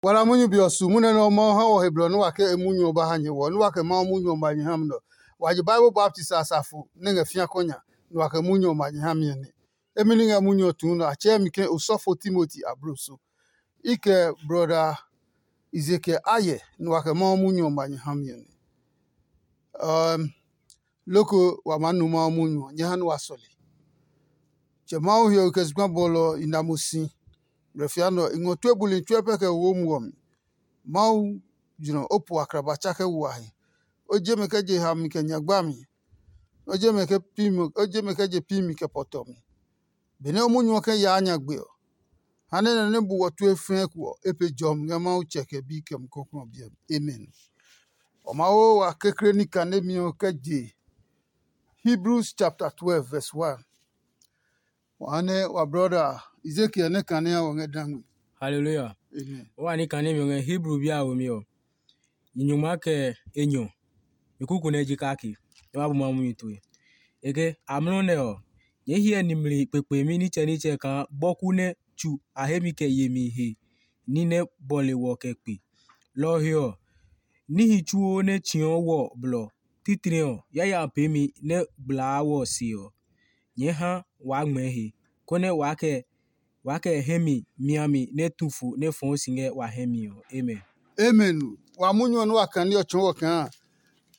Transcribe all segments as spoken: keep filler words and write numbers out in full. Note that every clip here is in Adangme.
Kpala munyu be ɔ su munyu nɛ Mawu ha wɔ he blɔ nɛ wa kɛ e munyu ɔ ba ha nyɛ wɔ, nɛ wa kɛ Mawu munyu ɔ ma nyɛ ha mi nɛ ɔ. Wa je Bible baptist a safo nɛ ngɛ fĩa kɔ nya, nɛ wa kɛ munyu ɔ ma nyɛ ha mi ɔ nɛ. Emi ni ngɛ munyu ɔ tuu nɛ a tsɛɛ mi ke osɔfo Timoti abloso. I kɛ brɔda Ezekiel a yɛ, nɛ wa kɛ Mawu munyu ɔ ma nyɛ ha mi ɔ nɛ. Ɛɛm, loko wa maa nu Mawu munyu ɔ, nyɛ ha nɛ wa sɔle. Tsɛ Mawu hiɔwe kɛ zugba bɔlɔ ɔ, i na mo si. Blɛfia nɛ ɔ, i ngɔ tue buli tsuɛ pɛ kɛ wo muɔ mi. Mawu jlɔ o po akraba tsa kɛ wo a he. O je mɛ kɛ je ha mi kɛ nyagba mi. O je mɛ kɛ pi mi, o je mɛ kɛ je pi mi kɛ pɔtɔ mi. Benɛ o munyu ɔ kɛ yaa nyagbe ɔ, ha nɛ nɛ nɛ bu wɔ tue fɛɛ ko ɔ, e pe jɔmi ngɛ Mawu Tsɛ kɛ Bi kɛ Mumi Klɔuklɔu ɔ biɛ mi. Amen. Ɔ ma wo wa kekle ní kanemi ɔ kɛ je Hebrews chapter twelve verse one. Wa nɛ wa brɔda Ezekiel nɛ kanea wɔ ngɛ dangme. Hallelujah. Amen. Wa ní kanemi ɔ ngɛ Hebrew bi a womi ɔ. Nyunyuma kɛ enyɔ, mi kuku nɛ ji kake, nɛ ma bu Mawu munyu tue. E ke, amlɔ nɛ ɔ, nyɛɛ hyɛ nimli kpekpemi nitsɛnitsɛ kaa bɔku nɛ tsu a hemi kɛ yemi he ní nɛ bɔle wɔ kɛ kpe. Lɔ ɔ he ɔ, níhi tsuo nɛ tsiɔ wɔ blɔ, titri ɔ, yaya peemi nɛ gblaa wɔ se ɔ, nyɛɛ ha waa ngmɛɛ he, konɛ waa kɛ waa kɛ hɛ mi miami nɛ tu fo nɛ fɔɔ si ngɛ wa hɛ mi ɔ. Amen. Amen. Wa munyu ɔ nɛ wa kane ɔ tsɔɔ wɔ kaa,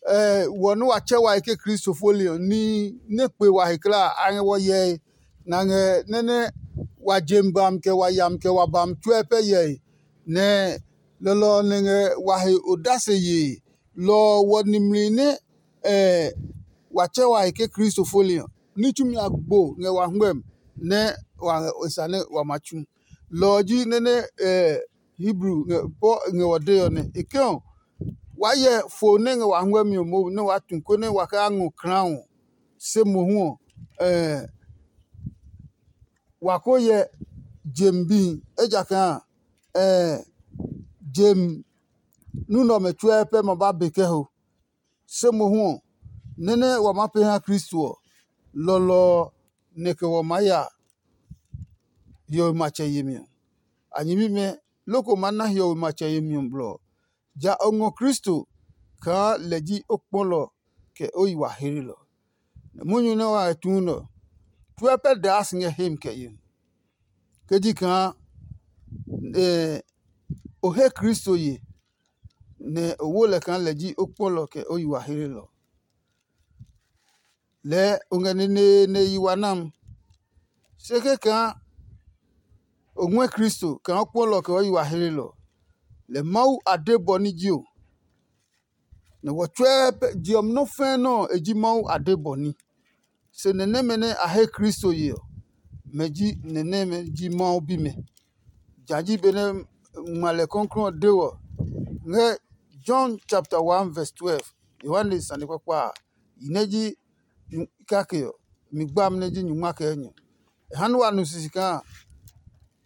ɛ, wɔ nɛ wa tsɛ wa he ke Kristo fo li ɔ, ní nɛ kpe wa he kulaa a ngɛ wɔ hyɛe, nɛ a ngɛ nɛ nɛ wa jem bam kɛ wa yam kɛ wa bam tsuɛ pɛ hyɛe, nɛ lɔlɔ ɔ nɛ ngɛ wa he odase yee. Lɔ ɔ wɔ nimli nɛ ɛ wa tsɛ wa he ke Kristo fo li ɔ, ní tsumi a gbo ngɛ wa hwɛm nɛ wa ngɛ e sane wa ma tsu. Lɔ ɔ ji nɛ nɛ ɛ Hebru ngɛ Paul ngɛ wɔ dee ɔ nɛ. E ke ɔ, waa hyɛ fo nɛ ngɛ wa hwɛmi ɔ mohu nɛ waa tu konɛ wa kɛ ngɔ klaao, se mohu ɔ, ɛ wa ko hyɛ jem bihi, ejakaa ɛ jem nunɛ ɔmɛ tsuɛ pɛ ma ba be kɛ ho. Se mohu ɔ, nɛ nɛ wa maa pee ha Kristo ɔ, lɔlɔ ɔ nɛ kɛ wɔ maa ya hiɔwe matsɛ yemi ɔ. A nyɛmimɛ, loko maa na hiɔwe matsɛ yemi ɔ blɔ ɔ, ja o ngɔ Kristo kaa lɛ ji o kpɔlɔ kɛ o yi wa hlelɔ. Nɛ munyu nɛ wa ngɛ tuu nɛ ɔ, tsuɛ pɛ daa si ngɛ hemi kɛ yemi. Ke ji kaa o he Kristo ye, nɛ o wo lɛ kaa lɛ ji o kpɔlɔ kɛ o yi wa hlelɔ. Lɛɛ o ngɛ neneene yi wa nam. Se kɛkaa o ngɔɛ Kristo kaa o kpɔlɔ kɛ o yi wa hlelɔ, lɛ Mawu a de bɔ ní ji o. Nɛ wɔ tsuɛ pɛ je ɔ nɔ́ fɛ́ nɔ́ ɔ e ji Mawu a de bɔ ní. Se nɛ nɛmɛ nɛ a he Kristo ye ɔ, mɛ ji nɛ nɛmɛ ji Mawu bimɛ. Ja ji benɛ ngma lɛ kɔklɔɔ ɔ de wɔ ngɛ John chapter one verse twelve, Yohane sane kpakpa a, yi nɛ ji kake ɔ, mi gbami nɛ ji nyungma kɛ enyɔ. E ha nɛ wa nu sisi kaa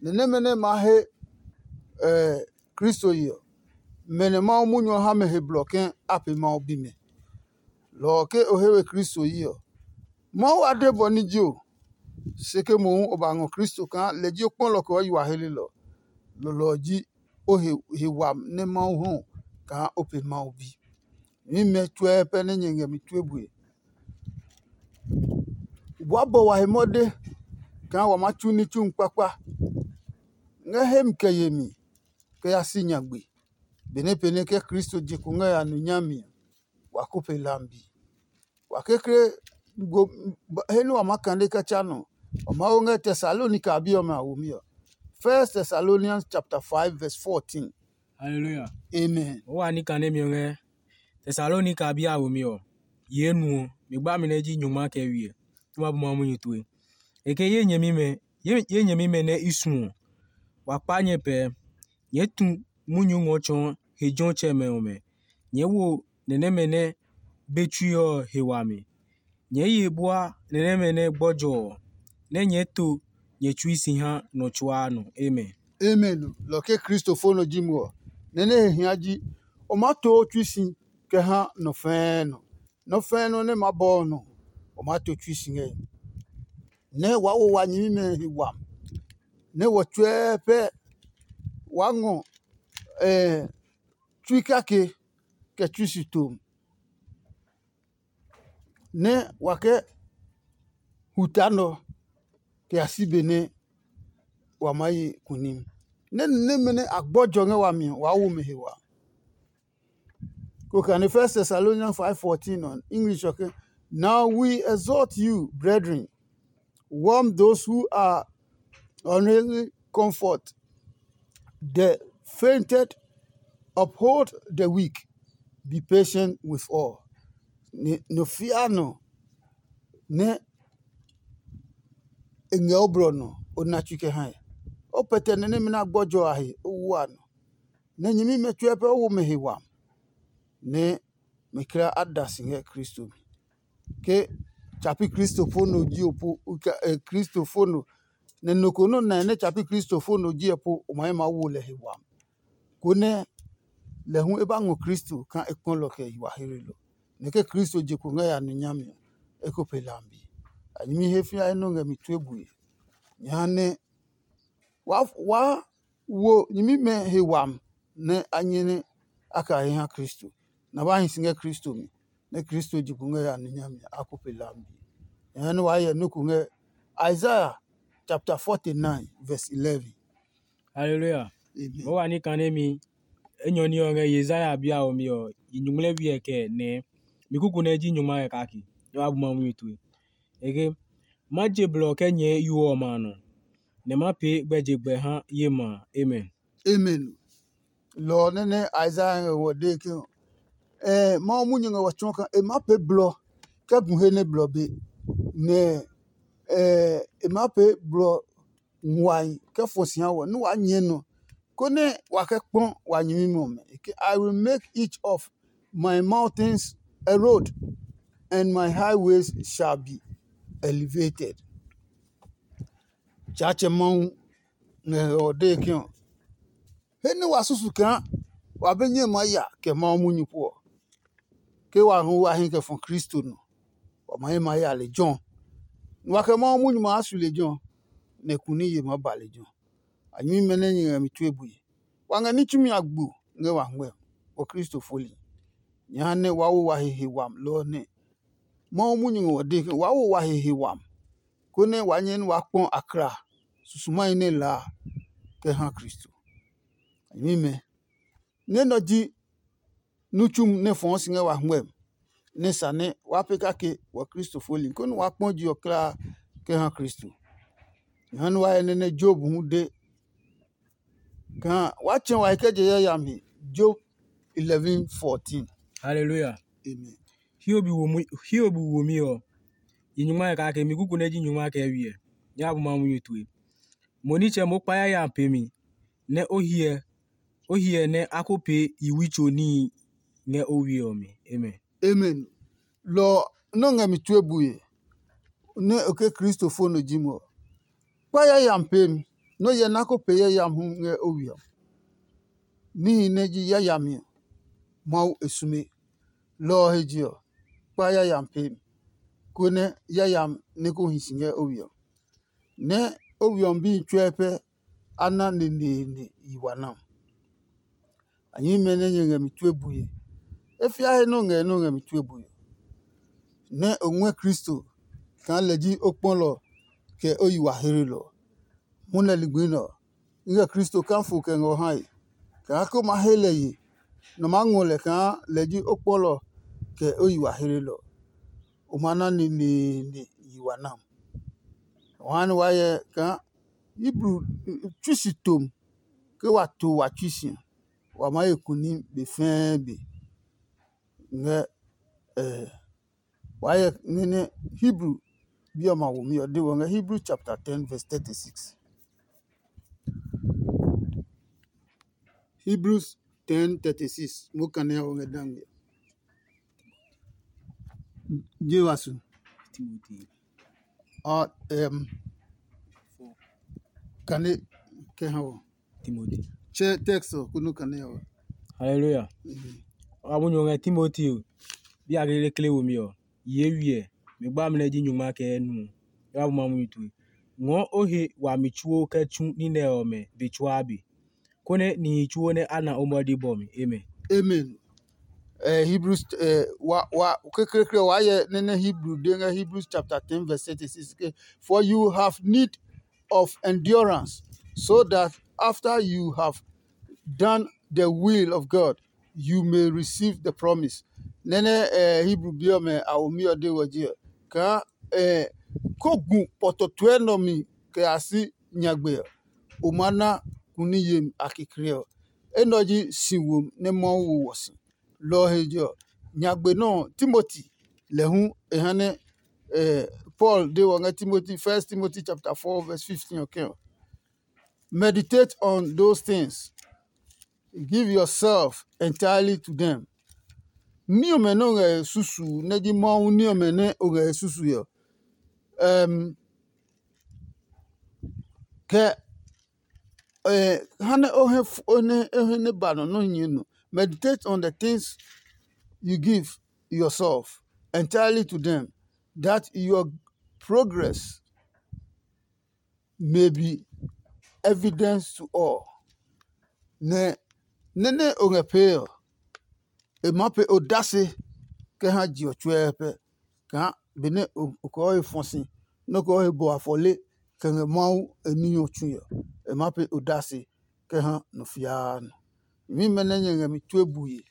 nɛ nɛmɛ nɛ maa he Kristo ye ɔ, mɛ nɛ Mawu munyu ɔ ha mɛ he blɔ ke a pe Mawu bimɛ. Lɔ ɔ ke o he we Kristo yi ɔ, Mawu a de bɔ ní ji o, se ke mohu o ba ngɔ Kristo kaa lɛ ji o kpɔlɔ kɛ o yi wa helelɔ. Lɔlɔ ɔ ji o he he wami nɛ Mawu hɔ kaa o pe Mawu bi. Mimɛ tsuɛ pɛ nɛ nyɛ ngɛ mi tue bue. Wa bɔ wa he mɔde kaa wa maa tsu ní tsu kpakpa ngɛ hemi kɛ yemi kɛ ya si nyagbe. Benɛ pɛnɛ ke Kristo je kpo ngɛ ya nu nyami ɔ, wa ko pe lambi. Wa kekle he nɛ wa maa kane kɛ tsa nɔ, wa Mawu ngɛ Tesalonika a bi ɔmɛ a womi ɔ. First Thessalonians chapter five verse fourteen. Hallelujah. Amen. O wa ní kane mi ɔ ngɛ Tesalonika a bi a womi ɔ, yi enuɔ, mi gbami nɛ ji nyɔngma kɛ wiɛ, nɛ ma bu Mawu munyu tue. E ke ye nyɛmimɛ, ye nyɛmimɛ nɛ i suɔ, wa kpa nyɛ pɛɛ. Nyɛɛ tu munyu ngɔ tsɔɔ he jɔtsɛmɛ ɔmɛ. Nyɛɛ wo nɛ nɛmɛ nɛ be tsui ɔ he wami. Nyɛɛ ye bua nɛ nɛmɛ nɛ gbɔjɔ ɔ, nɛ nyɛɛ to nyɛ tsui si ha nɔ tsuaa nɔ. Amen. Amen. Lɔ ke Kristo fo nɔ ji mo ɔ, nɛ nɛ he hia ji, o maa to o tsui si kɛ ha nɔ fɛɛ nɔ. Nɔ fɛɛ nɔ nɛ maa bɔ ɔ nɔ, o maa to tsui si ngɛ. Nɛ waa wo wa nyɛmimɛ he wami, nɛ wɔ tsuɛ pɛ waa ngɔ tsui kake kɛ tsui si tom, nɛ wa kɛ huta nɔ kɛ ya si be nɛ wa maa ye kunim. Nɛ ni nɛmɛ nɛ a gbɔjɔ ngɛ wami ɔ, waa wo mɛ he wa. Ko kane First Thessalonians five fourteen on English, okay? Now we exhort you, brethren, warm those who are unable, comfort the fainted, uphold the weak, be patient with all. Nɔ fia nɔ nɛ e ngɛ o blɔ nɔ, o na tsui kɛ hae. O pɛtɛ nɛ nɛmɛ nɛ a gbɔjɔ a he, o wu a nɔ. Nɛ nyɛmimɛ tsuɛ pɛ o wo mɛ he wami, nɛ mɛ kla a da si ngɛ Kristo mi. Ke tsa pi Kristo fo nɔ ji o po, Kristo fo nɔ, nɛ nɔ ko nɔ́ nae nɛ tsa pi Kristo fo nɔ ji ɛ po, o ma he maa wo lɛ he wami, konɛ lɛ hu e ba ngɔ Kristo kaa e kpɔ lɛ kɛ yi wa hlelɔ. Nɛ ke Kristo je kpo ngɛ ya nu nyami ɔ, e ko pe lambi. A nyɛmi he fĩa nɔ́ ngɛ mi tue bue. Jehanɛ waa wo nyɛmimɛ he wami nɛ a nyɛ nɛ a kɛ a he ha Kristo, nɛ a ba hi si ngɛ Kristo mi, nɛ Kristo je kpo ngɛ ya nu nyami a ko pe lambi. Jehanɛ waa hyɛ nɔ́ ko ngɛ Isaiah chapter forty-nine verse eleven. Haleluya. Amen. Mo wa ní kanemi enyɔ ní ɔ ngɛ Yesaya bi a ɔ mi ɔ, yi nyuŋmlɛ bi ɛ kɛ nɛ mi kuku nɛ ji nyuŋma kɛ kake. Nyɛ wa bu ma munyu tue. Eke, ma je blɔ kɛ nyɛɛ yo ɔmɛ a nɔ, nɛ ma pee gbɛjegbɛ ha ye ma a. Amen. Amen. Lɔ ɔ nɛ nɛ Isaiah ngɛ ngɔ dee ke, eh, Mawu munyu ngɛ wa tsɔɔ kaa e maa pee blɔ kɛ gu he nɛ blɔ be, nɛ eh, e maa pee blɔ nguahi kɛ fɔ si ha wɔ nɛ waa nyɛɛ nɔ, konɛ wa kɛ kpɔ wa nyɛmimɛ ɔmɛ. I will make each of my mountains a road, and my highways shall be elevated. Tsaatsɛ Mawu ngɛ ɔ dee ke ɔ, he nɛ wa susu kaa wa be nyɛ maa ya kɛ Mawu munyu pu ɔ, ke wa hu wa hi kɛ fɔ Kristo nɔ, wa ma he ma ya lejɛ ɔ. Nɛ wa kɛ Mawu munyu maa su lejɛ ɔ, nɛ kuni ye maa ba lejɛ ɔ. A nyɛmimɛ nɛ nyɛ ngɛ mi tue bue. Wa ngɛ ní tsumi a gbo ngɛ wa ngmɛ́ ɔ Kristo foli. Nyɛ ha nɛ waa wo wa he he wami lɔ ɔ nɛ. Mawu munyu ngɛ wa dee ke waa wo wa he he wami, konɛ waa nyɛ nɛ waa kpɔ akla susumahi nɛ laa kɛ ha Kristo. A nyɛmimɛ, nɛ nɔ ji nu tsumu nɛ fɔɔ si ngɛ wa hwɛmi, nɛ sa nɛ waa pee kake wɔ Kristo foli, konɛ waa kpɔ je ɔ kulaa kɛ ha Kristo. Jehanɛ wa hyɛ nɛ nɛ Job hu de kaa waa tsɛ wa he kɛ je yayami he. Job eleven fourteen. Haleluya. Amen. Hiob womi ɔ, yi nyungma kɛ kake, mi kuku nɛ ji nyungma kɛ wiɛ. Nyɛ bu Mawu munyu tue. Mo nitsɛ, mo kpa yayami pe mi, nɛ o hyɛ o hyɛ nɛ a ko pee yiwi tso níhi ngɛ o we ɔ mi. Amen. Amen. Lɔ ɔ nɔ́ ngɛ mi tue bue, nɛ o ke Kristo fo nɔ ji mo ɔ. Kpa yayami peemi, nɔ́ hyɛ nɛ a ko pee yayami hu ngɛ o we ɔ. Níhi nɛ ji yayami ɔ, Mawu e sume. Lɔ ɔ he je ɔ, kpa yayami peemi, konɛ yayami nɛ ko hi si ngɛ o we ɔ. Nɛ o we ɔ mi bihi tsuɛ pɛ a na neneene yi wa na. A nyɛmimɛ nɛ nyɛ ngɛ mi tue bue. E fia he nɛ o ngɛ nɛ o ngɛ mi tue bue, nɛ o ngɔɛ Kristo kaa lɛ ji o kpɔlɔ kɛ o yi wa hlelɔ. Mwɔnɛ ligbi nɛ ɔ, i ngɛ Kristo kaa fo kɛ ngɛ o hae, kaa ke o maa he lɛ ye, nɛ o maa ngɔ lɛ kaa lɛ ji o kpɔlɔ kɛ o yi wa hlelɔ. O ma na neneene yi wa na. O ha nɛ waa hyɛ kaa Hebru tsui si tom ke wa to wa tsui si ɔ, wa maa ye kunim be fɛɛ be. Ngɛ eh, waa hyɛ nɛ nɛ Hebru bi ɔmɛ a womi ɔ de wɔ ngɛ Hebrew chapter ten verse thirty-six. Hebrews ten thirty-six, mo kane ɔ ngɛ dangbe. Je wa su. Timothy. Ɔ, em, kane kɛ ha wɔ. Timothy. Tsɛ text ɔ kunu kane ɔ. Hallelujah. Mhm. Wa bu nyɔ ngɛ Timothy o. Bi a kekle womi ɔ, ye wiɛ, mi gba mi nɛ ji nyungma kɛ nu ɔ. Ya bu ma munyu tue. Ngɔɔ o he wami tsuo kɛ tsu ní nɛ ɔmɛ be tsuaa be. konɛ nihi tsuo nɛ a na o mɔdi bɔ mi. Amen. Amen. Uh, Hebrews, uh, wa, wa, kekleekle wa yɛ nene Hebrew de ngɛ Hebrews chapter ten verse thirty-six ke, "For you have need of endurance, so that after you have done the will of God, you may receive the promise." Nene uh, Hebrew bi ɔmɛ a womi ɔ de wɔ ji ɔ, kaa uh, ko gu pɔtɔtuɛ nɔ mi kɛ a si nyagbe ɔ, o ma na kuni yemi a kekle ɔ. Enɛ ɔ ji si wo nɛ Mawu wo wɔ si. Lɔ ɔ he je ɔ, nyagbe nɛ ɔ, Timoti lɛ hu e ha nɛ eh, Paul de wɔ ngɛ Timoti, First Timoti chapter four verse fifteen ɔ kɛ ɔ, "Meditate on those things. Give yourself entirely to them." Ní ɔmɛ nɛ o ngɛ e susu nɛ ji Mawu ní ɔmɛ nɛ o ngɛ e susu ɔ, um, kɛ eh, ha nɛ o he f- o nɛ o he nɛ ba nɔ nɔ nyɛ nɔ. Meditate on the things you give yourself entirely to them, that your progress may be evidence to all. Nɛ nɛ nɛ o ngɛ pee ɔ, e maa pe odase kɛ ha je ɔ tsuɛɛ pɛ, kaa benɛ o kɔɔ he fɔ si nɛ o kɔɔ he bɔ afɔle kɛ ngɛ Mawu e níhi ɔ tsui ɔ, e maa pe odase kɛ ha nɔ fiaa nɔ. Nyɛmimɛ nɛ nyɛ ngɛ mi tue bue,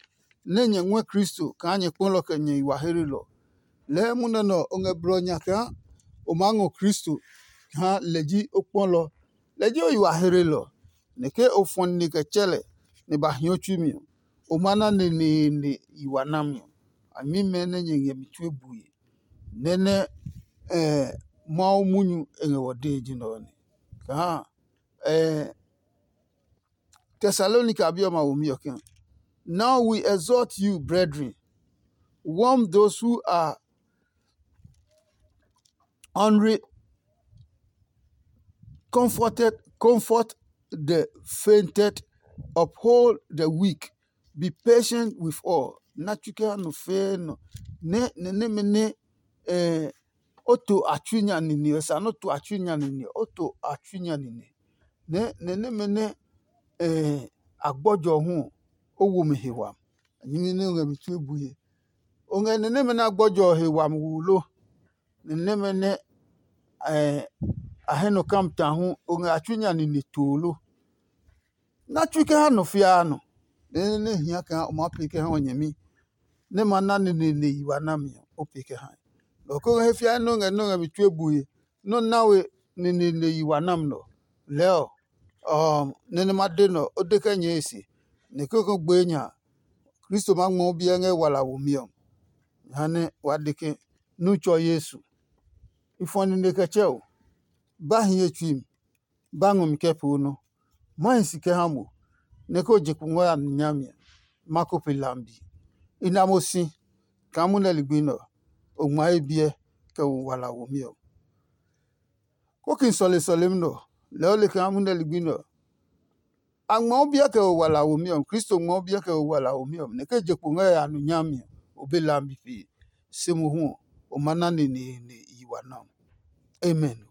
nɛ nyɛ ngɔɛ Kristo kaa nyɛ kpɔlɔ kɛ nyɛ yi wa heelɔ. Lɛɛ munɛ nɛ ɔ, o ngɛ blɔ nya kaa o maa ngɔ Kristo kaa lɛ ji o kpɔlɔ, lɛ ji o yi wa heelɔ. Nɛ ke o fɔ nine kɛ tsɛ lɛ, nɛ ba hia o tsui mi ɔ, o ma na neneene yi wa nami ɔ. A nyɛmimɛ nɛ nyɛ ngɛ mi tue bue, nɛ nɛ Mawu munyu e ngɛ wɔ dee ji nɛ ɔ nɛ. Kaa Thessalonica bi ɔmɛ a womi ɔ ke, "Now we exhort you, brethren, warm those who are hungry, comforted, comfort the fainted, uphold the weak, be patient with all." Na tsu kɛ ha nɔ fɛɛ nɔ nɛ nɛ nɛmɛ nɛ eh, o to a tsui nya nine ɔ, sa nɛ o to a tsui nya nine ɔ, o to a tsui nya nine nɛ nɛ nɛmɛ nɛ eh, a gbɔjɔ ɔ hu ɔ, o wo mɛ he wami. Nyɛmi nɛ o ngɛ mi tue bue. O ngɛ nɛ nɛmɛ nɛ a gbɔjɔ ɔ he wami wu lo? Nɛ nɛmɛ nɛ eh, a hɛ nɔ kam ta hu, o ngɛ a tsui nya nine too lo? Na tsui kɛ ha nɔ fiaa nɔ, nɛ nɛ hia kaa o maa pee kɛ ha o nyɛmi, nɛ ma na neneene yi wa nami ɔ, o pee kɛ hae. Lɔ ko ngɛ he fiae nɛ o ngɛ nɛ o ngɛ mi tue bue, nɛ o na we neneene yi wa nami nɛ ɔ. Lɛɛ ɔ, ɔ nɛ nɛ ma de nɛ ɔ, o de kɛ nyɛɛ e se, nɛ kekle gbee nya a, Kristo maa ngmɔ o biɛ ngɛ wala womi ɔ. Jehanɛ wa de ke, nu tsɔ Yesu. I fɔ nine kɛ tsɛ o, ba hi ye tsui mi, ba ngɔ mi kɛ poo nɔ. Ma hi si kɛ ha mo, nɛ ko je kungwɔ ya mi nyami ɔ, ma ko pe lambi. I na mo si kaa munɛ ligbi nɛ ɔ, o ngma ye biɛ kɛ wo wala womi ɔ. Kóki sɔle sɔlemi nɛ ɔ, lɛɛ o le kaa munɛ ligbi nɛ ɔ, a ngma o biɛ kɛ wo wala womi ɔ, Kristo ngma o biɛ kɛ wo wala womi ɔ, nɛ ke je kpo ngɛ ya nu nyami ɔ, o be lambi pee. Se mohu ɔ, o ma na neneene yi wa nɔ. Amen.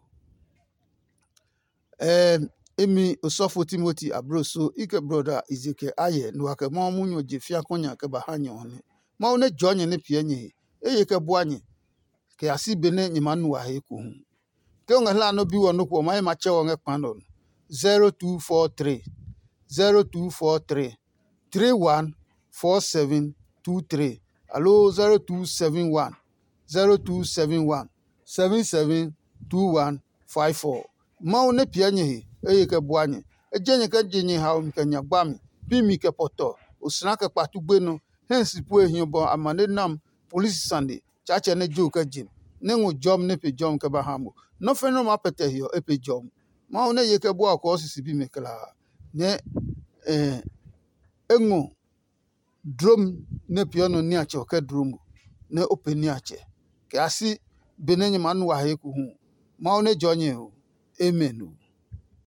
Ɛɛ imi osɔfo Timoti abloso i kɛ brɔda Ezekiel ayɛ nɛ wa kɛ Mawu munyu ɔ je fia kɔnya kɛ ba ha nyɛ ɔ nɛ. Mawu nɛ jɔɔ nyɛ nɛ piɛ nyɛ he, eye kɛ bua nyɛ, kɛ ya si benɛ nyɛ maa nu a he ekohu. Ke o ngɛ hla nɔ́ bi wɔ nɔ́ ko ɔ, ma ye ma tsɛ wɔ ngɛ kpa nɛ ɔ nɔ. zero two four three zero two four three three one four seven two three aloo zero two seven one zero two seven one seven seven two one five four. Mawu nɛ piɛ nyɛ he, eye kɛ bua nyɛ. E je nyɛ kɛ je nyɛ haomi kɛ nya gbami, pi mi kɛ pɔtɔ, osla kɛ kpatu gbenɔ, hɛ si pue hiɔ bɔ amane nam polisi sane, Tsaatsɛ nɛ jo kɛ je mi, nɛ ngɔ jɔmi nɛ pe jɔmi kɛ ba ha mo. Nɔ́ fɛnɛ nɔ maa pɛtɛ he ɔ, e pe jɔmi. Mawu nɛ ye kɛ bua ɔ kɔɔ sisi bimɛ klaa, nɛ e ngɔ dlomi nɛ peeɔ nɔ niatsɛ ɔ kɛ dlo mo, nɛ o pe niatsɛ, kɛ ya si benɛ nyɛ maa nu wa he ekohu. Mawu nɛ jɔɔ nyɛ ɔ. Amen ɔ.